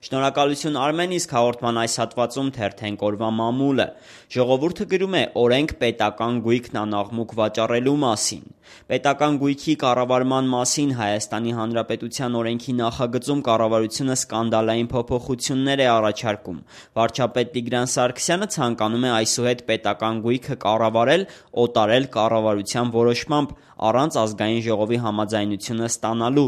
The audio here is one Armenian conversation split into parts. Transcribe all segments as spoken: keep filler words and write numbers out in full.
Շնորհակալություն Արմեն, իսկ հաղորդման այս հատվածում թերթենք օրվա մամուլը։ Ժողովուրդը գրում է օրենք պետական գույքն անաղմուկ վաճառելու մասին։ Պետական գույքի կառավարման մասին Հայաստանի Հանրապետության օրենքի նախագծում կառավարությունը սկանդալային փոփոխություններ է առաջարկում։ Վարչապետ Տիգրան Սարգսյանը ցանկանում է այսուհետ պետական գույքը կառավարել, օտարել կառավարության որոշմամբ, առանց ազգային ժողովի համաձայնությունը ստանալու։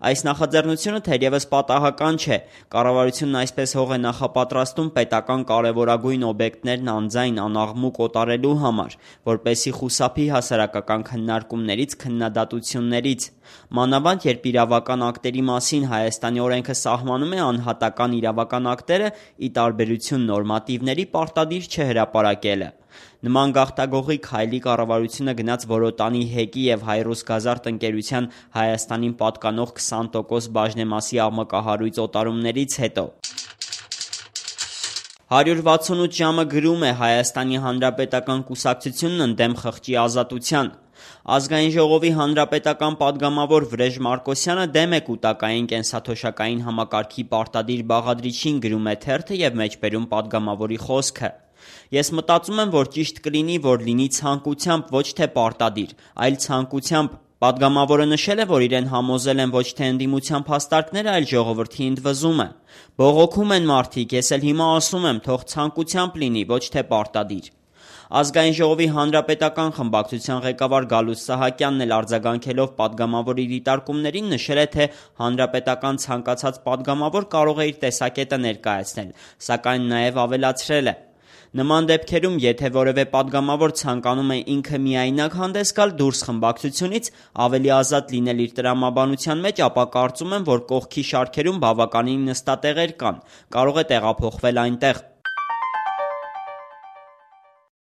Այս նախաձեռնությունը թերևս պատահական չէ։ Կառավարությունն այսպես հող է նախապատրաստում պետական կարևորագույն օբյեկտներն անձայն անաղմուկ օտարելու համար, որպեսզի խուսափի հասարակական քննարկումներից, քննադատություններից։ Մանավանդ երբ իրավական ակտերի մասին Հայաստանի օրենքը սահմանում է անհատական իրավական ակտերը, ի տարբերություն նորմատիվների, պարտադիր չէ հրապարակելը։ Նման գաղթագողի քայլի կառավարությունը գնաց Որոտանի հեկի և Հայրուսգազարդ ընկերության Հայաստանին պատկանող քսան տոկոս բաժնեմասի աղմկահարույց օտարումներից հետո։ հարյուր վաթսունութ ժամը գրում է Հայաստանի Հանրապետական կուսակցությունն ընդդեմ խղճի ազատության։ Ազգային ժողովի հանրապետական պատգամավոր Վրեժ Մարկոսյանը դեմ է կուտակային կենսաթոշակային համակարգի պարտադիր բաղադրիչին, գրում է թերթը և մեջբերում պատգամավորի խոսքը։ Ես մտածում եմ, որ ճիշտ կլինի, որ լինի ցանկությամբ, ոչ թե պարտադիր, այլ ցանկությամբ։ Պատգամավորը նշել է, որ իրեն համոզել են ոչ թե ընդդիմության փաստարկները, այլ ժողովրդի ընդվզումը։ Բողոքում են մարդիկ, ես էլ հիմա ասում եմ, թող ցանկությամբ լինի, ոչ թե պարտադիր։ Ազգային ժողովի հանրապետական խմբակցության ղեկավար Գալուստ Սահակյանն էլ արձագանքելով պատգամավորի դիտարկումներին նշել է, թե հանրապետական ցանկացած պատգամավոր կարող է իր տեսակետը ներկայացնել, սակայն նաև ավելացրել է. Նման դեպքերում, եթե որևէ պատգամավոր ցանկանում է ինքը միայնակ հանդես գալ դուրս խմբակցությունից, ավելի ազատ լինել իր տրամաբանության մեջ, ապա կարծում եմ, որ կողքի շարքերում բավականին նստատեղեր կան, կարող է տեղափոխվել այնտեղ։